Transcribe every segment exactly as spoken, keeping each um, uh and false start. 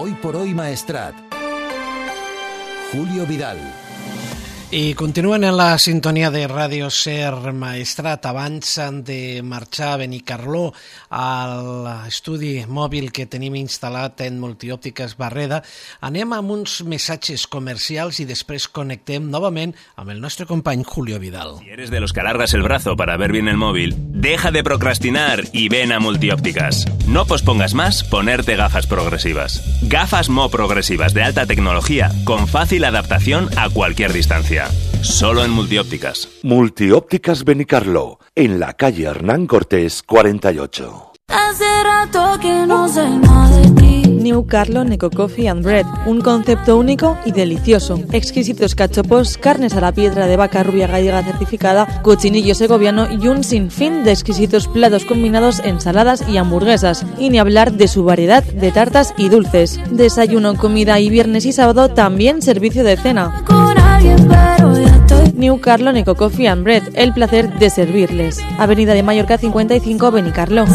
Hoy por hoy Maestrat. Julio Vidal. I continuen en la sintonia de Ràdio Ser Maestrat. Abans de marxar a Benicarló, a l'estudi mòbil que tenim instal·lat en Multiòptiques Barreda, anem amb uns missatges comercials i després connectem novament amb el nostre company Julio Vidal. Si eres de los que alargas el brazo para ver bien el móvil, deja de procrastinar y ven a Multiópticas. No pospongas más ponerte gafas progresivas. Gafas Mo progresivas de alta tecnología con fácil adaptación a cualquier distancia. Solo en Multiópticas. Multiópticas Benicarló, en la calle Hernán Cortés cuarenta y ocho. Hace rato que no sé más de ti. New Carlo Neco Coffee and Bread, un concepto único y delicioso. Exquisitos cachopos, carnes a la piedra de vaca rubia gallega certificada, cochinillo segoviano y un sinfín de exquisitos platos combinados, ensaladas y hamburguesas. Y ni hablar de su variedad de tartas y dulces. Desayuno, comida y viernes y sábado también servicio de cena. New Carlo Neco Coffee and Bread, el placer de servirles. Avenida de Mallorca cincuenta y cinco, Benicarló. El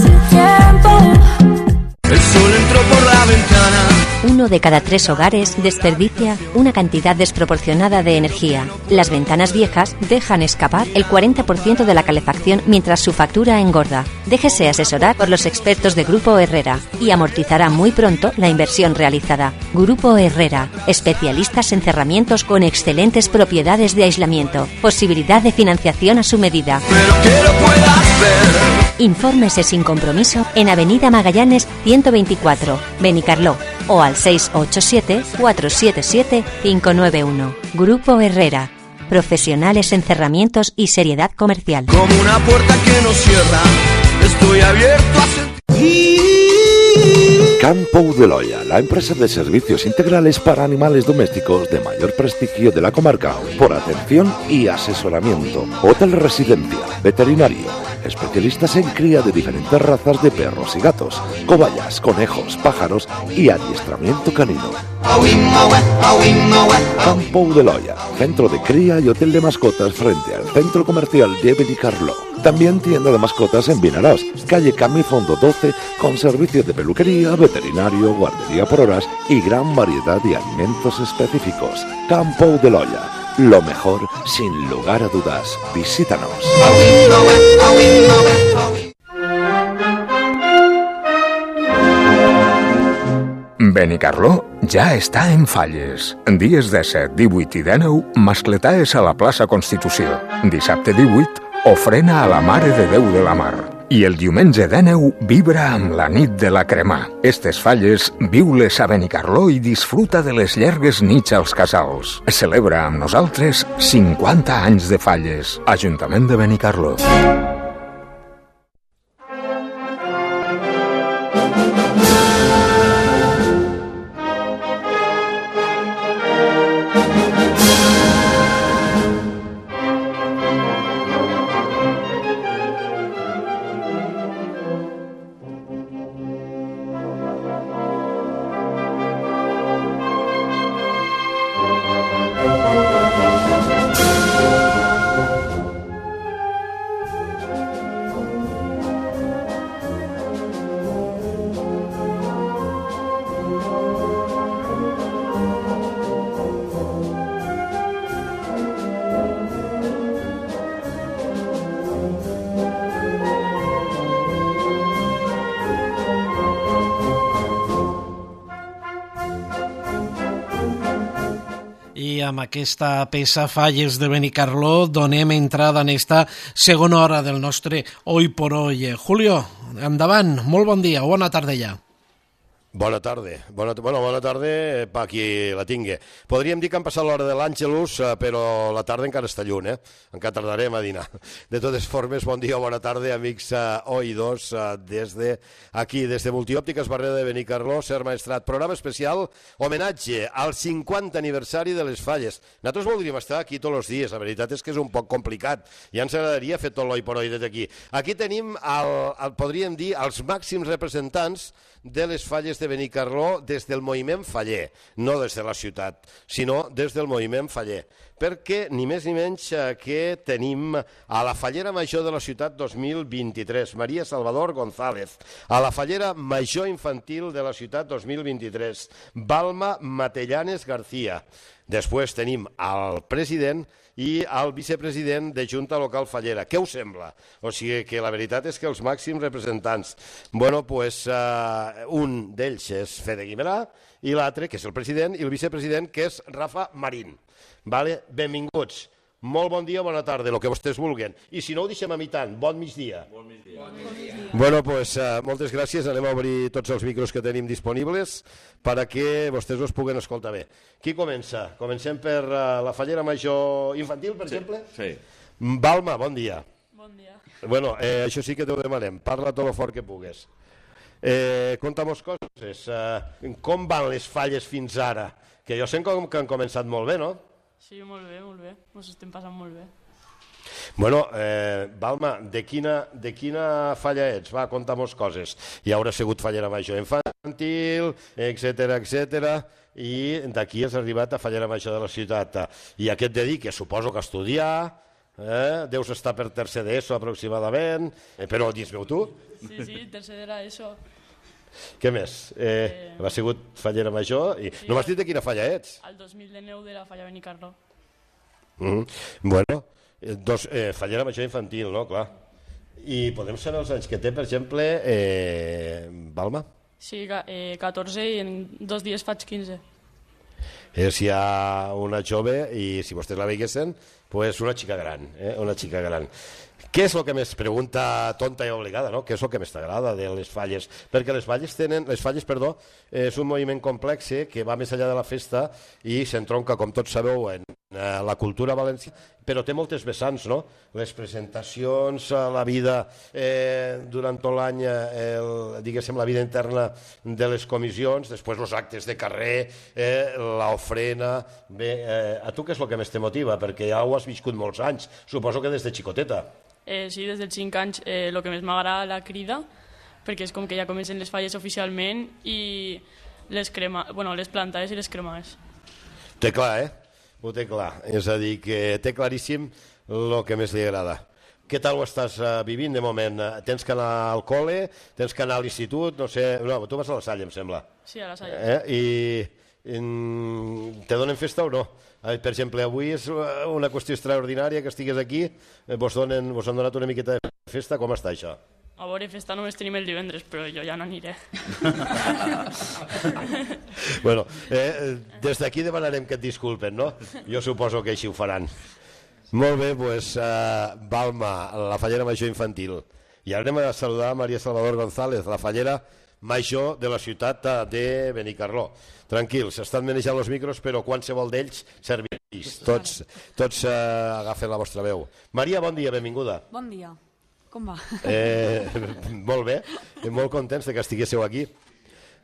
sol entró por la ventana. Uno de cada tres hogares desperdicia una cantidad desproporcionada de energía. Las ventanas viejas dejan escapar el cuarenta por ciento de la calefacción mientras su factura engorda. Déjese asesorar por los expertos de Grupo Herrera y amortizará muy pronto la inversión realizada. Grupo Herrera, especialistas en cerramientos con excelentes propiedades de aislamiento, posibilidad de financiación a su medida. Pero que lo pueda hacer. Infórmese sin compromiso en Avenida Magallanes ciento veinticuatro, Benicarló, o al seis ocho siete, cuatro siete siete, cinco nueve uno. Grupo Herrera, profesionales en cerramientos y seriedad comercial. Como una puerta que no cierra, estoy abierto a sentir. Campo de Loya, la empresa de servicios integrales para animales domésticos de mayor prestigio de la comarca, por atención y asesoramiento. Hotel residencia, veterinario, especialistas en cría de diferentes razas de perros y gatos, cobayas, conejos, pájaros y adiestramiento canino. Campo de Loya, centro de cría y hotel de mascotas frente al centro comercial de Benicarló. También tienda de mascotas en Vinaròs, calle Camí Fondo doce, con servicios de peluquería, veterinario, guardería por horas y gran variedad de alimentos específicos. Campo de Loya, lo mejor sin lugar a dudas. Visítanos. Benicarló ja està en falles. Dies disset, divuit i dinou, mascletaes a la plaça Constitució. Dissabte divuit, ofrena a la Mare de Déu de la Mar. I el diumenge dinou, vibra amb la nit de la cremà. Estes falles, viu-les a Benicarló i disfruta de les llargues nits als casals. Celebra amb nosaltres cinquanta anys de falles. Ajuntament de Benicarló. Amb aquesta peça Falles de Benicarló donem entrada en esta segona hora del nostre Hoy por Hoy. Julio, endavant, molt bon dia, bona tarda ja. Bona tarda. Bona, bueno, bona tarda per qui la tingui. Podríem dir que han passat l'hora de l'Àngelus, però la tarda encara està lluny, eh? Encara tardarem a dinar. De totes formes, bon dia o bona tarda, amics uh, oïdors, uh, des de aquí, des de Multiòptiques Barreda de Benicarló, Ser Maestrat, programa especial, homenatge al cinquanta aniversari de les falles. Nosaltres voldríem estar aquí tots els dies, la veritat és que és un poc complicat, ja ens agradaria fer tot l'oi per oi des d'aquí. Aquí tenim, el, el, podríem dir, els màxims representants de les falles de Benicarló des del moviment faller, no des de la ciutat, sinó des del moviment faller. perquè ni més ni menys que tenim a la Fallera Major de la ciutat dos mil vint-i-tres, Maria Salvador González, a la Fallera Major Infantil de la ciutat dos mil vint-i-tres, Balma Matellanes García. Després tenim el president i el vicepresident de Junta Local Fallera. Què us sembla? O sigui que la veritat és que els màxims representants, bueno, pues uh, un d'ells és Fede Guimerà i l'altre, que és el president, i el vicepresident, que és Rafa Marín. Vale? Benvinguts. Molt bon dia o bona tarda, el que vostès vulguen. I si no ho deixem a mi tant, bon migdia. Bon migdia. Bon migdia. Bueno, pues, uh, moltes gràcies. Anem a obrir tots els micros que tenim disponibles perquè vostès us puguen escoltar bé. Qui comença? Comencem per uh, la Fallera Major Infantil, per sí, exemple? Sí. Balma, bon dia. Bon dia. Bueno, eh, això sí que t'ho demanem. Parla tot el fort que pugues. Eh, Conta-mos coses. Eh, com van les falles fins ara? Que jo sé que han començat molt bé, no? Sí, molt bé, molt bé. Ens estem passant molt bé. Bueno, eh, Balma, de quina, de quina falla ets? Va, conta-mos coses. Hi haurà sigut Fallera Major Infantil, etcètera, etcètera, i d'aquí has arribat a Fallera Major de la ciutat. I a què et dediques? Suposo que a estudiar, eh? Deus estar per tercer d'ESO aproximadament, eh, però dis-me-ho tu. Sí, sí, tercer d'ESO. eso. Què més? Eh, eh... Ha sigut Fallera Major i... Sí, no m'has dit de quina falla ets? El dos mil nou de la Falla Benicarló. Mm -hmm. Bueno, dos, eh, Fallera Major Infantil, no? Clar. I podem saber els anys que té, per exemple, eh, Balma? Sí, eh, catorze i en dos dies faig quinze. És ja una jove i si vostès la veiguessin, pues una xica gran, eh? Una xica gran. Què és el que més, pregunta tonta i obligada, no? Què és el que més t'agrada de les falles? Perquè les falles tenen, les falles, perdó, és un moviment complex que va més enllà de la festa i s'entronca, com tots sabeu, en la cultura valenciana, però té moltes vessants, no? Les presentacions, la vida eh, durant tot l'any, el, diguéssim, la vida interna de les comissions, després els actes de carrer, eh, l'ofrena... Bé, eh, a tu què és el que més te motiva? Perquè ja ho has viscut molts anys, suposo que des de xicoteta. Eh, sí, des dels cinc anys el eh, que més m'agrada la crida, perquè és com que ja comencen les falles oficialment i les, crema, bueno, les plantades i les cremades. Té clar, eh? Ho té clar. És a dir, que té claríssim el que més li agrada. Què tal ho estàs uh, vivint de moment? Tens que anar al col·le? Tens que anar a l'institut? No sé... No, tu vas a la Salle, em sembla. Sí, a la Salle. Eh? I in... te donen festa o no? Per exemple, avui és una qüestió extraordinària que estigues aquí, vos, donen, vos han donat una miqueta de festa, com està això? A veure, festa només tenim el divendres, però jo ja no aniré. Bueno, eh, des d'aquí demanarem que et disculpen, no? Jo suposo que així ho faran. Molt bé, doncs, uh, Balma, la Fallera Major Infantil. I ara anem a saludar a Maria Salvador González, la Fallera Major de la ciutat de Benicarló. Tranquils, estan manejant els micros, però qualsevol d'ells serveix. Tots, tots uh, agafen la vostra veu. Maria, bon dia, benvinguda. Bon dia. Com va? Eh, molt bé, molt contents de que estiguéssiu aquí.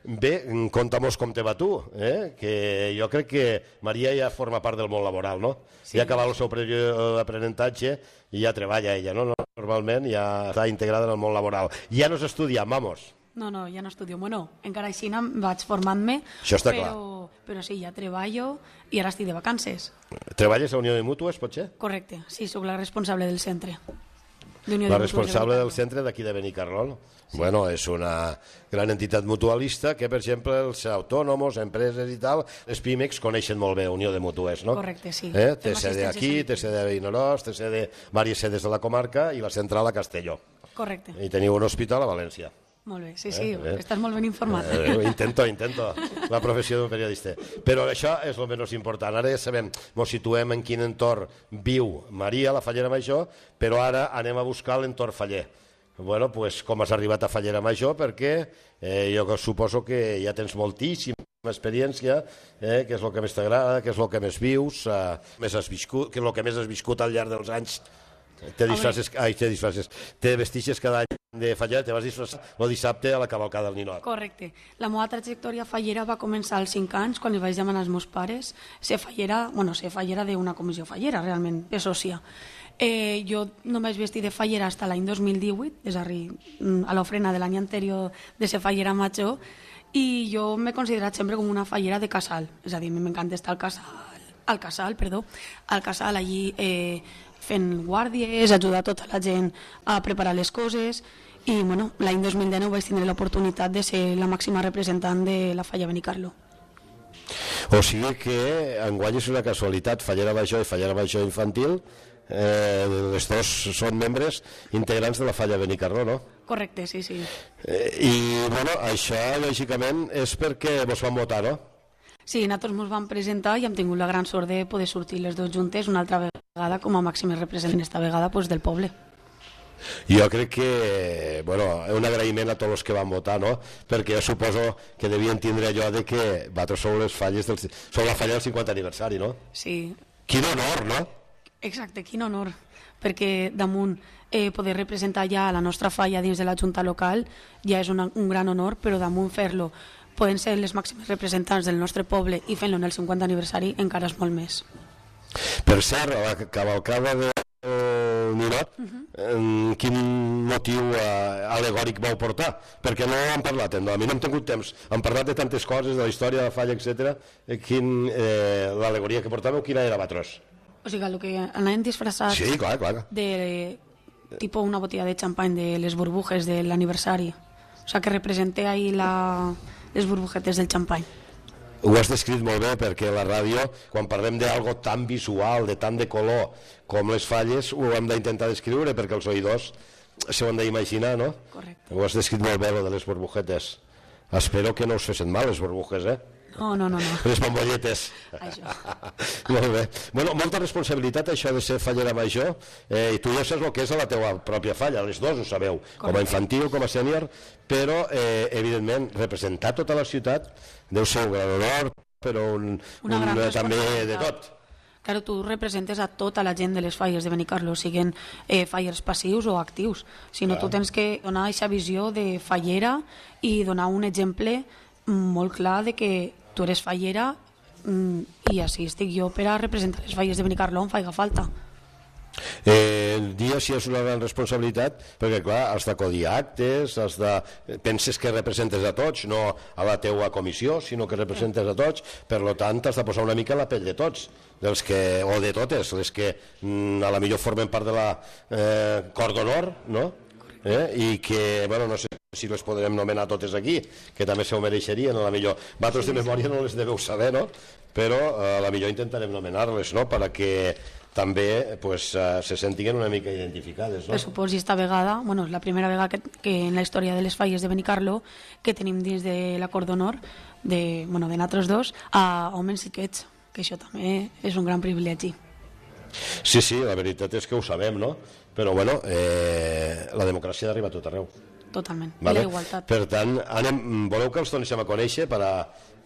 Bé, conta'mos com te va tu, eh? Que jo crec que Maria ja forma part del món laboral, no? Sí. Ja ha acabat el seu període d'aprenentatge i ja treballa ella, no? Normalment ja està integrada en el món laboral. Ja no s'estudia, vamos. No, no, ja no estudio. Bueno, encara així vaig formant-me, però, però sí, ja treballo i ara estic de vacances. Treballes a Unió de Mútues, pot ser? Correcte, sí, soc la responsable del centre. La responsable del centre d'aquí de Benicarló. Sí. Bueno, és una gran entitat mutualista que, per exemple, els autònoms, empreses i tal, les pimex coneixen molt bé Unió de Mútues, no? Correcte, sí. Eh? Té sede aquí, té sede a Vinaròs, té sede diverses sedes de la comarca i la central a Castelló. Correcte. I teniu un hospital a València. Molt bé, sí, sí, eh, eh. estàs molt ben informat. Eh, intento, intento, la professió d'un periodista. Però això és el menys important. Ara ja sabem, ens situem en quin entorn viu Maria, la Fallera Major, però ara anem a buscar l'entorn faller. Bueno, pues com has arribat a Fallera Major? Perquè eh, jo suposo que ja tens moltíssima experiència, eh, que és el que més t'agrada, que és el que més vius, eh, més has viscut, que és el que més has viscut al llarg dels anys. Te disfresses, ai, te disfresses, te vestixes cada any de Fallera, te vas disfressar el dissabte a la cavalcada del Ninot. Correcte. La meva trajectòria fallera va començar als cinc anys, quan li vaig demanar als meus pares ser fallera, bueno, ser fallera d'una comissió fallera, realment, de sòcia. Eh, jo no m'he vestit de fallera fins l'any dos mil divuit, és a dir, a l'ofrena de l'any anterior de ser fallera major, i jo m'he considerat sempre com una fallera de casal, és a dir, m'encanta estar al casal, al casal, perdó, al casal allí eh, fent guàrdies, ajudar tota la gent a preparar les coses, i bueno, l'any dos mil dinou vaig tindre l'oportunitat de ser la màxima representant de la Falla Benicarló. O sigui que enguany és una casualitat, Fallera Major i Fallera Major Infantil, eh, els dos són membres integrants de la Falla Benicarló, no? Correcte, sí, sí. Eh, I bueno, això lògicament és perquè vos van votar, no? Sí, nosaltres ens vam presentar i hem tingut la gran sort de poder sortir les dues juntes una altra vegada com a màximes representants, esta vegada pues, del poble. Jo crec que, bueno, un agraïment a tots els que van votar, no? Perquè jo suposo que devien tindre allò de que vosaltres sou les falles del, sou la falla del cinquanta aniversari, no? Sí. Quin honor, no? Exacte, quin honor, perquè damunt eh, poder representar ja la nostra falla dins de la Junta local ja és una, un gran honor, però damunt fer-lo poden ser les màximes representants del nostre poble i fent-lo en el cinquanta aniversari encara és molt més. Per cert, la cavalcada de Ninot, uh -huh. quin motiu eh, alegòric vau portar? Perquè no hem parlat, no? A mi no hem tingut temps, hem parlat de tantes coses, de la història de la falla, etcètera. Quin, eh, l'alegoria que portàveu, quina era, vosaltres? O sigui, el que anàvem disfressats sí, clar, clar. de tipus una botella de xampany de les burbujes de l'aniversari. O sigui, que representé ahí la, les burbujetes del xampany. Ho has descrit molt bé, perquè la ràdio, quan parlem d'algo tan visual, de tant de color com les falles, ho hem d'intentar descriure perquè els oïdors s'ho han d'imaginar, no? Correcte. Ho has descrit molt bé, lo de les burbujetes. Espero que no us fessin mal les burbujes, eh? No, no, no, no. Les bombolletes. Això. Molt bé. Bueno, molta responsabilitat això de ser fallera major, eh, i tu ja saps el que és a la teua pròpia falla, les dues ho sabeu, correcte, com a infantil, com a sènior, però eh, evidentment representar tota la ciutat deu ser un gran honor, però un, una un, gran un també de tot. Claro, tu representes a tota la gent de les falles de Benicarló, siguin eh, fallers passius o actius, sinó tu tens que donar aquesta visió de fallera i donar un exemple molt clar de que tu eres fallera i així estic jo per a representar les falles de Benicarló on faiga falta. Eh, el dia sí és una gran responsabilitat perquè clar, has d'acodir a actes, has de... penses que representes a tots, no a la teua comissió, sinó que representes a tots, per lo tant has de posar una mica la pell de tots, dels que, o de totes, les que mm, a la millor formen part de la eh, cor d'honor, no? Eh? I que, bueno, no sé si les podrem nomenar totes aquí, que també se ho mereixerien, a la millor. Vosaltres de memòria no les deveu saber, no? Però a la millor intentarem nomenar-les, no?, perquè també pues, uh, se sentiguen una mica identificades, no? Per supost, i esta vegada, bueno, és la primera vegada que, que en la història de les falles de Benicarló que tenim dins de l'acord d'honor de, bueno, de nosaltres dos a homes xiquets, que això també és un gran privilegi. Sí, sí, la veritat és que ho sabem, no? Però, bueno, eh, la democràcia arriba a tot arreu. Totalment, vale? I la igualtat. Per tant, anem, voleu que els donem a conèixer per a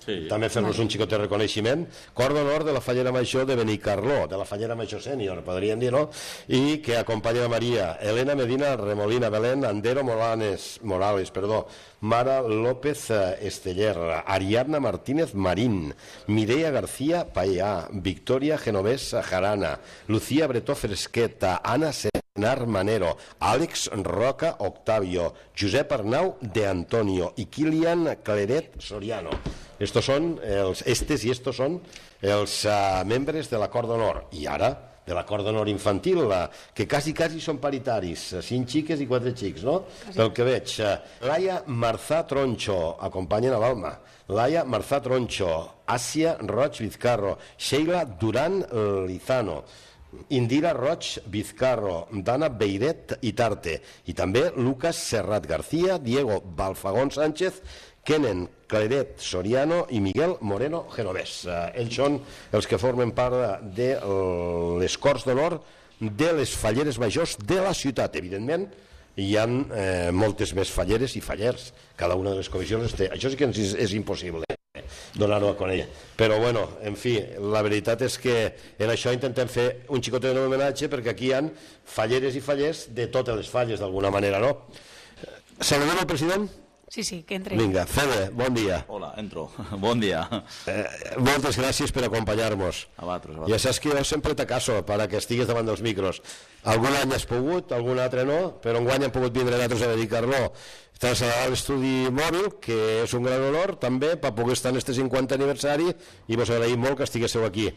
sí, també fer-nos vale. Un xicot de reconeixement? Cor d'honor de la Fallera Major de Benicarló, de la Fallera Major Sènior, podríem dir, no? I que acompanya Maria Elena Medina Remolina Belén Andero Morales, Morales, perdó, Mara López Esteller, Ariadna Martínez Marín, Mireia García Payá, Victoria Genovés Jarana, Lucía Bretó Fresqueta, Ana Senar Manero, Àlex Roca Octavio, Josep Arnau de Antonio i Kilian Claret Soriano. Estos son els, estes i estos són els uh, membres de l'acord d'honor. I ara, de l'acord d'honor infantil, uh, que quasi, quasi són paritaris, uh, cinc xiques i quatre xics, no? Quasi. Pel que veig. Uh, Laia Marzà Troncho, acompanyen a l'Alma. Laia Marzà Troncho, Àsia Roig Vizcarro, Sheila Duran Lizano, Indira Roig Vizcarro, Dana Beiret Itarte, i també Lucas Serrat García, Diego Balfagón Sánchez, Kenen Claret Soriano i Miguel Moreno Genovés. Uh, ells són els que formen part de uh, les Corts d'Honor de les falleres majors de la ciutat. Evidentment, hi ha eh, moltes més falleres i fallers. Cada una de les comissions té. Això sí que és, és impossible donar-ho a conèixer. Però, bueno, en fi, la veritat és que en això intentem fer un xicotet de homenatge perquè aquí hi ha falleres i fallers de totes les falles, d'alguna manera, no? Saludem al president? Sí, sí, que entre. Vinga, Fede, bon dia. Hola, entro. Bon dia. Eh, moltes gràcies per acompanyar-nos. A vosaltres, a vosaltres. Ja saps que jo sempre te caso para que estigues davant dels micros. Algun any has pogut, algun altre no, però enguany hem pogut vindre nosaltres a Benicarló traslladar a l'estudi mòbil, que és un gran honor també per poder estar en este cinquanta aniversari, i vos agraïm molt que estiguéssiu aquí.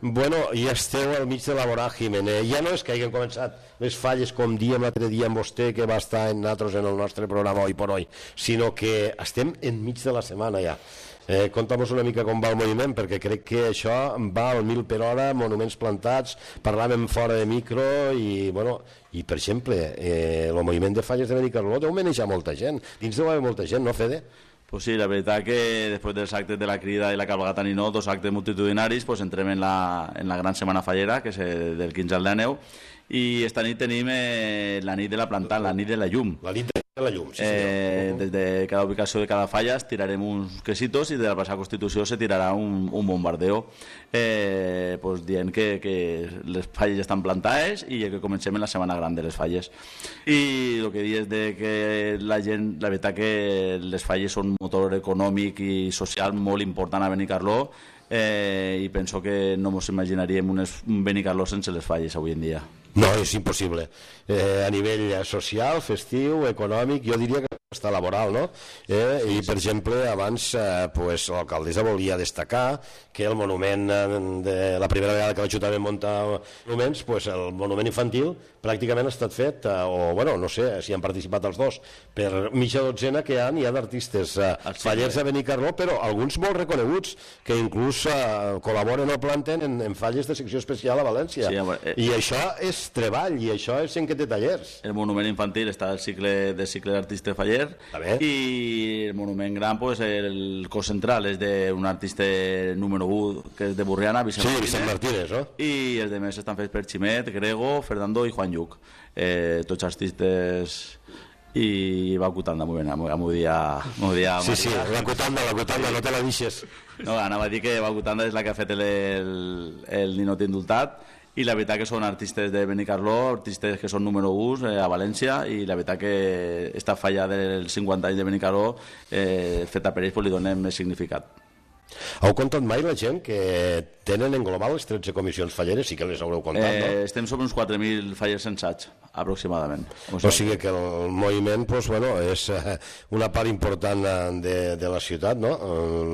Bueno, ja esteu al mig de la voràgine, eh? Ja no és que hagin començat les falles com diem l'altre dia amb vostè, que va estar en nosaltres en el nostre programa Hoy por Hoy, sinó que estem enmig de la setmana ja. Eh, Conta'm una mica com va el moviment, perquè crec que això va al mil per hora, monuments plantats, parlàvem fora de micro i, bueno, i per exemple, eh, el moviment de falles de Benicarló deu manejar molta gent, dins deu haver molta gent, no, Fede? Pues sí, la veritat que després dels actes de la crida i la cabalgata Ninó, dos actes multitudinaris, pues entrem en la, en la gran setmana fallera, que és del quinze al dinou, i esta nit tenim eh, la nit de la plantada, la nit de la llum. La nit de la llum, sí, eh, des de cada ubicació de cada falla tirarem uns quesitos i de la plaça Constitució se tirarà un, un bombardeo eh, pues dient que, que les falles estan plantades i que comencem en la setmana gran de les falles. I el que dius de que la gent, la veritat que les falles són un motor econòmic i social molt important a Benicarló, eh, i penso que no ens imaginaríem un Benicarló sense les falles avui en dia. No, és impossible. Eh, a nivell social, festiu, econòmic, jo diria que està laboral, no? Eh, I, per exemple, abans eh, pues, l'alcaldessa volia destacar que el monument, de la primera vegada que l'Ajuntament munta monuments, pues, el monument infantil pràcticament ha estat fet, eh, o, bueno, no sé si han participat els dos, per mitja dotzena que hi ha, hi ha d'artistes eh, fallers a Benicarló, però alguns molt reconeguts, que inclús eh, col·laboren o planten en, en falles de secció especial a València. Sí, eh, I això és treball, i això és gent que té tallers. El monument infantil està al cicle de cicle d'artista faller, i el monument gran, pues, el cos central és d'un artista número u, que és de Burriana, Vicent, sí, Martínez, Vicent Martínez, no? I els demés estan fets per Ximet, Grego, Fernando i Juan Lluc, eh, tots artistes. I va Cutanda, molt bé, m'ho dia... dia sí, sí, la Cutanda, la Cutanda, no te la deixes. No, anava a dir que va Cutanda és la que ha fet el, el, el ninot indultat, i la veritat que són artistes de Benicarló, artistes que són número u eh, a València, i la veritat que esta falla dels cinquanta anys de Benicarló eh, feta per ells pues, li donem més significat. Heu comptat mai la gent que tenen en global les tretze comissions falleres? Sí que les haureu comptat, eh, no? Estem sobre uns quatre mil fallers censats, aproximadament. O sigui que el moviment pues, bueno, és una part important de, de la ciutat, no?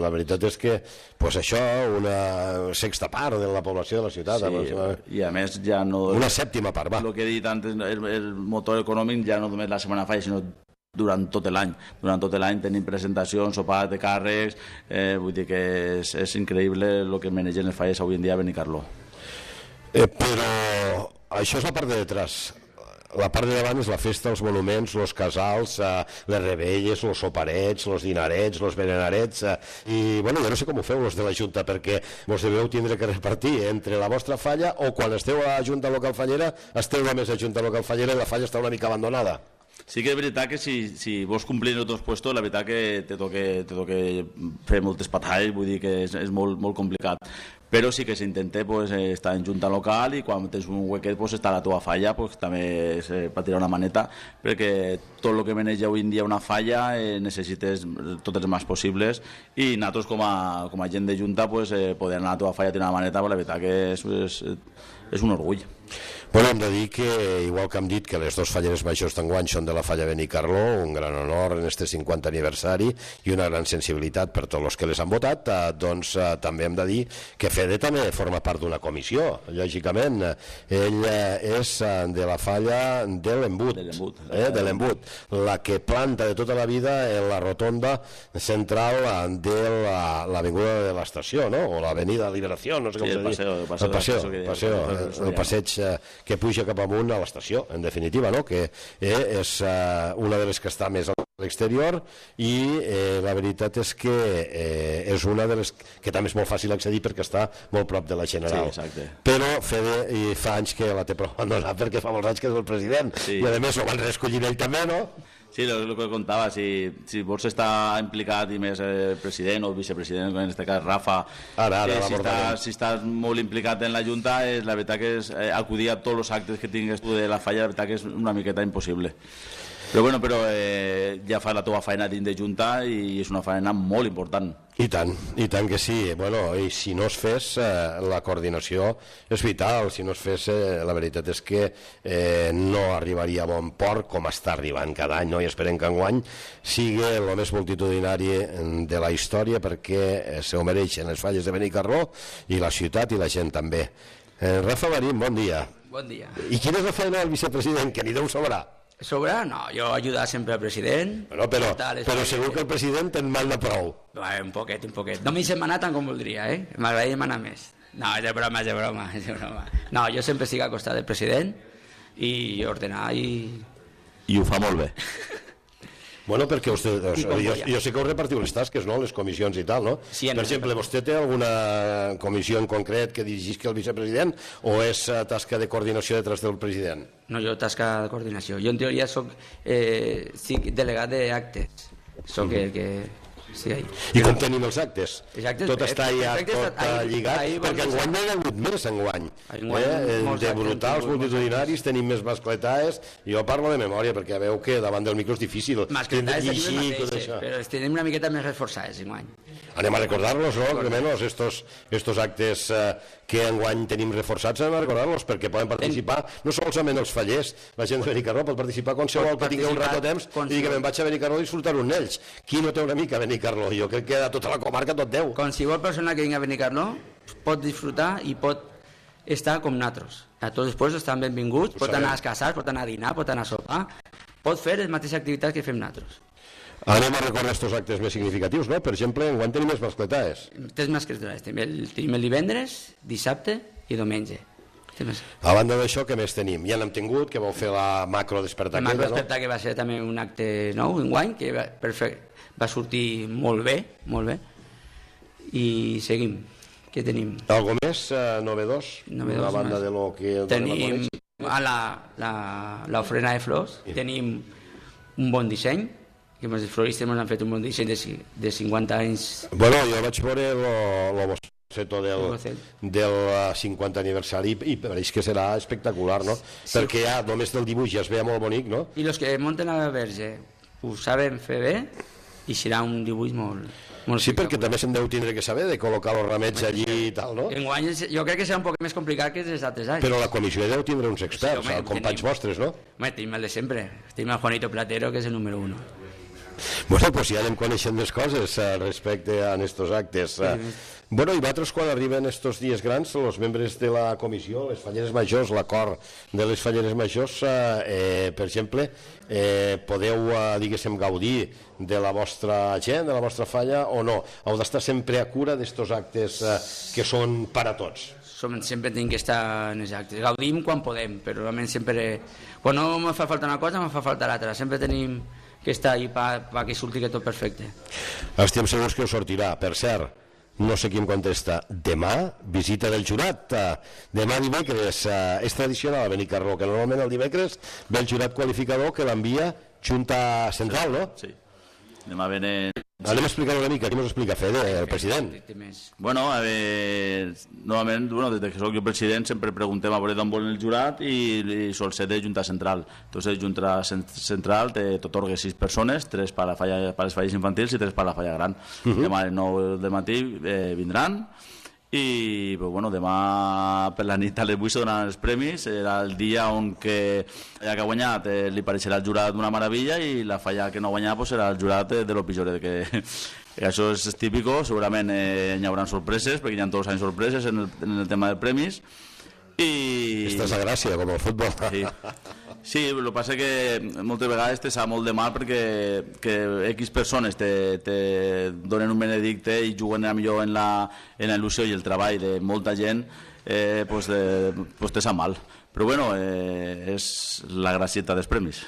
La veritat és que pues, això, una sexta part de la població de la ciutat. Sí, i a més ja no... Una sèptima part, va. El que he dit antes, el, el motor econòmic ja no només la setmana falla, sinó durant tot l'any. Durant tot l'any tenim presentacions, sopars de càrrecs, eh, vull dir que és, és increïble el que manegen les falles avui en dia a Benicarló. Eh, però això és la part de detrás. La part de davant és la festa, els monuments, els casals, eh, les rebelles, els soparets, els dinarets, els berenarets, eh, i bueno, jo no sé com ho feu els de la Junta, perquè vos deveu tindre que repartir entre la vostra falla o quan esteu a la Junta Local Fallera esteu només a Junta Local Fallera i la falla està una mica abandonada. Sí que és veritat que si, si vols complir en altres puestos, la veritat que te toque, te toque fer moltes batalles, vull dir que és, és molt, molt complicat. Però sí que s'intenta pues, estar en junta local i quan tens un huequet pues, estar a la teva falla, pues, també eh, per tirar una maneta, perquè tot el que maneja avui en dia una falla eh, necessites tots els mans possibles i nosaltres com a, com a gent de junta pues, eh, poder anar a la teva falla a tirar una maneta, pues, la veritat que és, és, és un orgull. Bueno, hem de dir que, igual que hem dit que les dos falleres majors d'enguany són de la falla Benicarló, un gran honor en este cinquanta aniversari i una gran sensibilitat per tots els que les han votat, eh, doncs eh, també hem de dir que Fede també forma part d'una comissió, lògicament. Ell eh, és eh, de la falla de l'Embut, eh, de l'Embut, la que planta de tota la vida en la rotonda central de l'avinguda la, de l'estació, no? O l'avenida Liberació, no sé com sí, se diu. El passeig, el passeig, el passeig, el, el passeig eh, que puja cap amunt a l'estació, en definitiva, no? Que eh, és eh, una de les que està més a l'exterior i eh, la veritat és que eh, és una de les que també és molt fàcil accedir perquè està molt prop de la General. Sí, exacte. Però Fede i fa anys que la té prou abandonada perquè fa molts anys que és el president sí. I a més ho van reescollir ell també, no? Sí, el que contava, si, si vols estar implicat i més eh, president o vicepresident, en aquest cas Rafa, ara, ara, eh, si, estàs, si estàs molt implicat en la Junta, és, la veritat que és eh, acudir a tots els actes que tingues tu de la falla, la veritat que és una miqueta impossible. Però, bueno, però eh, ja fas la teva feina dins de Junta i és una feina molt important. I tant, i tant que sí. Bueno, i si no es fes, eh, la coordinació és vital. Si no es fes, eh, la veritat és que eh, no arribaria a bon port com està arribant cada any, no? I esperem que enguany sigui el més multitudinari de la història, perquè eh, se ho mereixen les falles de Benicarló i la ciutat i la gent també. Eh, Rafa Marín, bon dia. Bon dia. I quina és la feina del vicepresident, que ni deu sobrar? Sobra? No, jo ajudar sempre al president. Bueno, però, però segur que el president en manda prou. Bueno, un poquet, un poquet. No m'hi sé manar tant com voldria, eh? M'agradaria manar més. No, és de broma, és de broma, és de broma. No, jo sempre estic al costat del president i ordenar i... I ho fa molt bé. Bueno, perquè vostè, jo, jo sé que us repartiu les tasques, no? Les comissions i tal, no? Sí, per exemple, vostè té alguna comissió en concret que dirigisca el vicepresident o és tasca de coordinació detrás del president? No, jo tasca de coordinació. Jo en teoria soc eh, delegat d'actes. Soc el que... Sí, I com tenim els actes? Exacte, tot està ja tot lligat, perquè enguany n'hi ha hagut més enguany. De brutals, multitudinaris, tenim més mascletaes. Jo parlo de memòria, perquè veu que davant del micro és difícil. Mascletaes tenim les mateixes, però els tenim una miqueta més reforçades enguany. Anem a recordar-los, no? Que menys estos, estos actes eh, que enguany tenim reforçats, anem a recordar-los, perquè poden participar no solament els fallers, la gent de Benicarló pot participar qualsevol que tingui un rato de temps i digui que me'n vaig a Benicarló a disfrutar un ells. Qui no té una mica a Benicarló? Jo crec que a tota la comarca tot deu. Qualsevol persona que vingui a Benicarló pot disfrutar i pot estar com nosaltres. A tots els puestos estan benvinguts, pot anar a casar, pot anar a dinar, pot anar a sopar, pot fer les mateixes activitats que fem nosaltres. Anem a recordar aquests actes més significatius, no? Per exemple, enguany tenim més mascletaes. Tres mascletaes. Tenim el, tenim el divendres, dissabte i diumenge. A banda d'això, què més tenim? Ja n'hem tingut, que vau fer la macro despertar. La macro despertar, no? Que va ser també un acte nou, enguany, que va, perfecte, va sortir molt bé, molt bé. I seguim. Què tenim? Algo més uh, novedós? Novedós. A banda de lo que... Tenim a la, la, l'ofrena de flors, sí. Tenim un bon disseny, que els floristes ens han fet un bon disseny de, de cinquanta anys. Bueno, jo vaig veure el boceto del, del cinquanta aniversari i pareix que serà espectacular, no? Sí. Perquè ja només del dibuix ja es veia molt bonic, no? I els que munten a la verge ho saben fer bé i serà un dibuix molt... molt sí, perquè també se'n deu tindre que saber de col·locar els ramets allí i tal, no? Enguany jo crec que serà un poc més complicat que els altres anys. Però la comissió deu tindre uns experts, sí, home, companys tenim, vostres, no? Home, tenim el de sempre. Tenim el Juanito Platero, que és el número uno. Bueno, pues ja anem coneixent més coses uh, respecte a estos actes. Uh, bueno, i vosaltres quan arriben estos dies grans, els membres de la comissió, les falleres majors, l'acord de les falleres majors, uh, eh, per exemple, eh, podeu, uh, diguéssim, gaudir de la vostra gent, de la vostra falla, o no? Heu d'estar sempre a cura d'estos actes uh, que són per a tots? Som, sempre tenim que estar en els actes. Gaudim quan podem, però realment sempre... Quan no me fa falta una cosa, me fa falta l'altra. Sempre tenim que està ahí perquè surti que tot perfecte. Estem segurs que us sortirà. Per cert, no sé qui em contesta. Demà, visita del jurat. Demà dimecres, és tradicional a Benicarló, que normalment el dimecres ve el jurat qualificador que l'envia Junta Central, no? Sí. Demà venen... Anem a explicar una mica, què ens explica Fede, el president? Bueno, a veure, novament, bueno, des que soc jo president sempre preguntem a veure d'on volen el jurat i, i sol ser de Junta Central. Entonces, Junta Central t'atorga sis persones, tres per a, falla, per a les falles infantils i tres per a la falla gran. Uh -huh. Demà a les nou del matí eh, vindran i pues, bueno, demà per la nit a les vuit se donaran els premis. Era el dia on que ja que ha guanyat eh, li pareixerà el jurat d'una meravella i la falla que no ha guanyat pues, serà el jurat eh, de lo pitjor, que, que això és típico. Segurament eh, hi haurà sorpreses perquè hi ha tots els anys sorpreses en el, en el tema de premis i... Esta és la gràcia, com el futbol. Sí, sí, el que passa que moltes vegades te sap molt de mal perquè que X persones te, te donen un benedicte i juguen a millor en la, en la il·lusió i el treball de molta gent, eh, pues, de, pues te sap mal. Però bueno, eh, és la gracieta dels premis.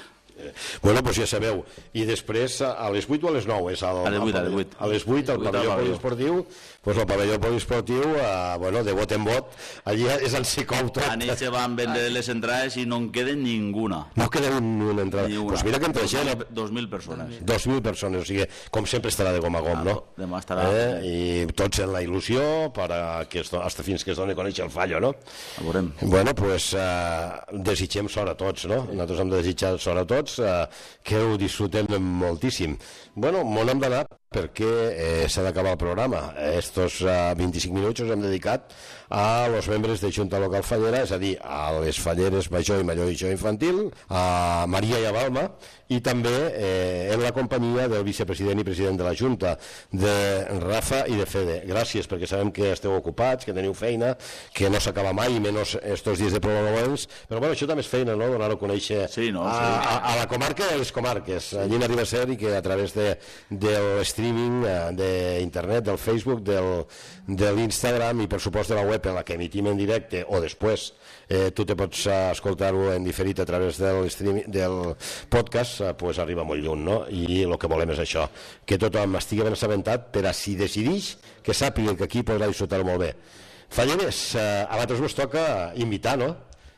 Bueno, doncs ja sabeu. I després, a les vuit o a les nou? És al, a les vuit, a les vuit. A les vuit, al pavelló poliesportiu. Doncs el pavelló poliesportiu, eh, bueno, de vot en vot, allí és el Sicou tot. A nit se van vendre les entrades i no en queden ninguna. No queda ni una entrada. Ni una. Pues mira que entre gent... Dos mil persones. Dos mil persones, o sigui, com sempre estarà de gom a gom, no? Demà estarà. Eh? I tots en la il·lusió, per a que es, hasta fins que es doni a conèixer el fallo, no? Ho veurem. Bueno, doncs eh, desitgem sort a tots, no? Nosaltres hem de desitjar sort a tots. tots, eh, que ho disfrutem moltíssim. Bueno, m'ho hem d'anar perquè eh, s'ha d'acabar el programa. Estos eh, vint-i-cinc minuts els hem dedicat a los membres de Junta Local Fallera, és a dir, a les falleres major i major i jo infantil, a Maria i a Balma, i també eh, en la companyia del vicepresident i president de la Junta, de Rafa i de Fede. Gràcies, perquè sabem que esteu ocupats, que teniu feina, que no s'acaba mai, menys estos dies de programaments, però bueno, això també és feina, no?, donar-ho a conèixer sí, no, a, sí. a, a la comarca i a les comarques. Allí n'arriba a ser i que a través de, del streaming, d'internet, del Facebook, del, de l'Instagram i per supost de la web en la que emitim en directe o després eh, tu te pots escoltar-ho en diferit a través del, streaming, del podcast, eh, pues arriba molt lluny, no? I el que volem és això, que tothom estigui ben assabentat per a si decidix que sàpiga que aquí podrà disfrutar-ho molt bé. Falleres, eh, a vosaltres vos toca invitar, no?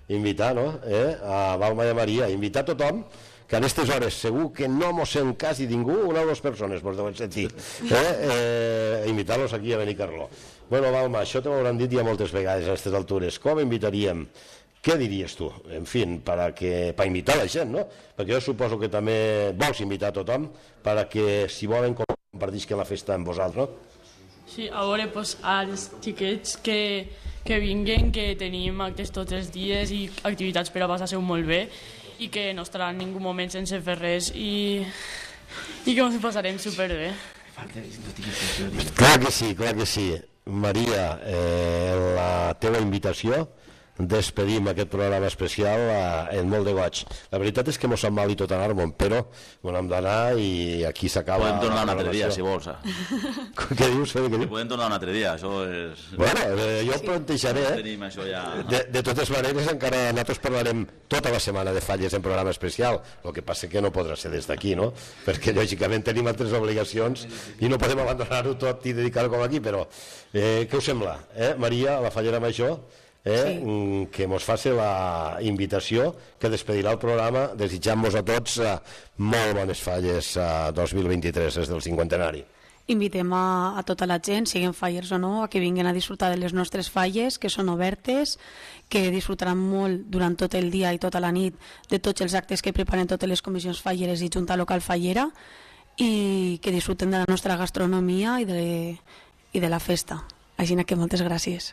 Invitar, no? Eh? A Balma i a Maria, invitar tothom que en aquestes hores segur que no mos sent quasi ningú, una o dues persones vos deuen sentir, eh? Eh, invitar-los aquí a Benicarló. Bueno, Balma, això t'ho hauran dit ja moltes vegades a aquestes altures. Com invitaríem? Què diries tu? En fi, per a que, per invitar la gent, no? Perquè jo suposo que també vols invitar a tothom per a que, si volen, compartisquen la festa amb vosaltres, no? Sí, a veure, pues, als xiquets que, que vinguen, que tenim actes tots els dies i activitats per a passar-se molt bé i que no estarà en ningú moment sense fer res i, i que ens passarem superbé. Clar que sí, clar que sí. Maria, eh, la teva invitació, despedim aquest programa especial eh, en molt de goig. La veritat és que mos sap mal i tot anar-me'n, però on hem d'anar i aquí s'acaba. Podem tornar un altre dia, si vols. Eh? Què dius? Què dius? Podem tornar un altre dia, això és... Bueno, eh, jo sí. plantejaré, eh? Tenim això ja... de, de totes maneres, encara nosaltres parlarem tota la setmana de falles en programa especial, el que passa que no podrà ser des d'aquí, no? Perquè, lògicament, tenim altres obligacions i no podem abandonar-ho tot i dedicar-ho com aquí, però eh, què us sembla? Eh? Maria, la fallera major, eh? sí. que mos faci la invitació que despedirà el programa, desitjant-vos a tots eh, molt bones falles a eh, dos mil vint-i-tres, des del cinquantenari. Invitem a, a tota la gent, siguin fallers o no, a que vinguin a disfrutar de les nostres falles, que són obertes, que disfrutaran molt durant tot el dia i tota la nit de tots els actes que preparen totes les comissions falleres i Junta Local Fallera, i que disfruten de la nostra gastronomia i de, i de la festa. Així que moltes gràcies.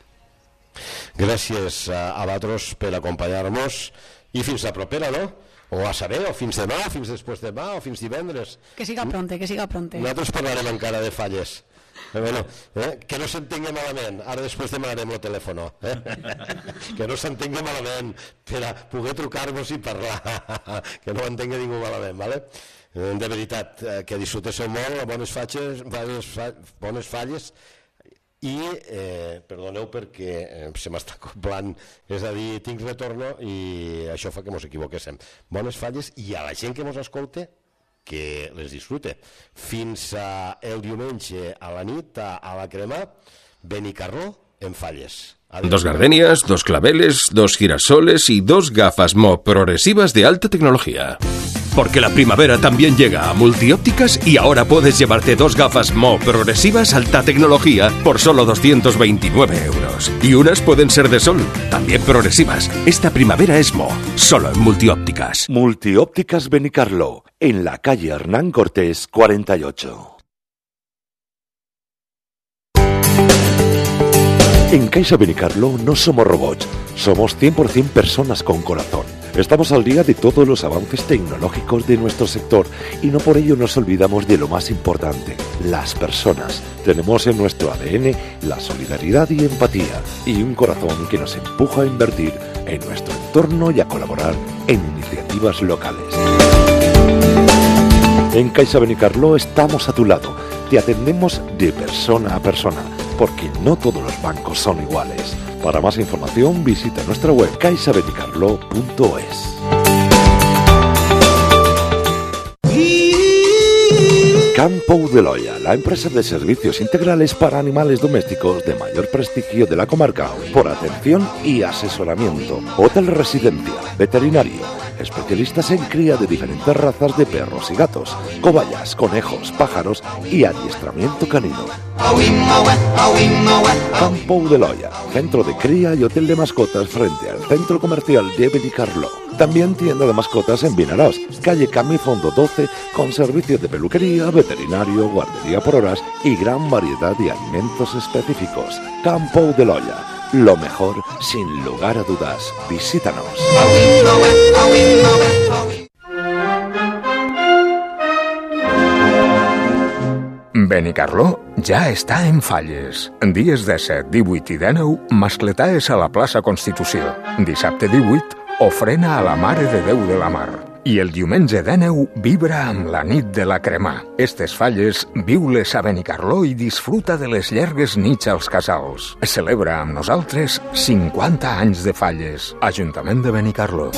Gràcies a, a vosaltres per acompanyar-nos i fins la propera, no? O a saber, o fins demà, fins després de demà, o fins divendres. Que siga pronte, que siga pronte. Nosaltres parlarem encara de falles. Eh, bueno, eh, que no s'entengui malament. Ara després demanarem el telèfon. Eh? Que no s'entengui malament per a poder trucar-vos i parlar. Que no entengui ningú malament, ¿vale? De veritat, que disfrutéssiu molt, bones falles, bones falles, i, eh, perdoneu perquè eh, se m'està acoplant, és a dir, tinc retorno i això fa que mos equivoquéssim. Bones falles i a la gent que mos escolte, que les disfrute. Fins a el diumenge a la nit, a, a la crema, Benicarló en falles. Adiós. Dos gardenias, dos claveles, dos girasoles y dos gafas Mo progresivas de alta tecnología. Porque la primavera también llega a Multiópticas y ahora puedes llevarte dos gafas Mo progresivas alta tecnología por solo doscientos veintinueve euros. Y unas pueden ser de sol, también progresivas. Esta primavera es Mo, solo en Multiópticas. Multiópticas Benicarló, en la calle Hernán Cortés cuarenta y ocho. En Caixa Benicarló no somos robots, somos cien por ciento personas con corazón. Estamos al día de todos los avances tecnológicos de nuestro sector y no por ello nos olvidamos de lo más importante, las personas. Tenemos en nuestro A D N la solidaridad y empatía y un corazón que nos empuja a invertir en nuestro entorno y a colaborar en iniciativas locales. En Caixa Benicarló estamos a tu lado, te atendemos de persona a persona, porque no todos los bancos son iguales. Para más información visita nuestra web caixa benicarló punto es. Can Pou de Loya, la empresa de servicios integrales para animales domésticos de mayor prestigio de la comarca, por atención y asesoramiento, hotel residencia, veterinario, especialistas en cría de diferentes razas de perros y gatos, cobayas, conejos, pájaros y adiestramiento canino. Can Pou de Loya, centro de cría y hotel de mascotas frente al centro comercial de Benicarló. También tienda de mascotas en Vinaròs, calle Camifondo doce, con servicios de peluquería, veterinario, guardería por horas y gran variedad de alimentos específicos. Campo de Loya. Lo mejor, sin lugar a dudas. Visítanos. Benicarló ja està en falles. Dies disset, divuit i dinou, mascletaes a la plaça Constitució. Dissabte divuit, ofrena a la Mare de Déu de la Mar. I el diumenge dinou, vibra amb la nit de la cremà. Estes falles, viu-les a Benicarló i disfruta de les llargues nits als casals. Celebra amb nosaltres cinquanta anys de falles. Ajuntament de Benicarló.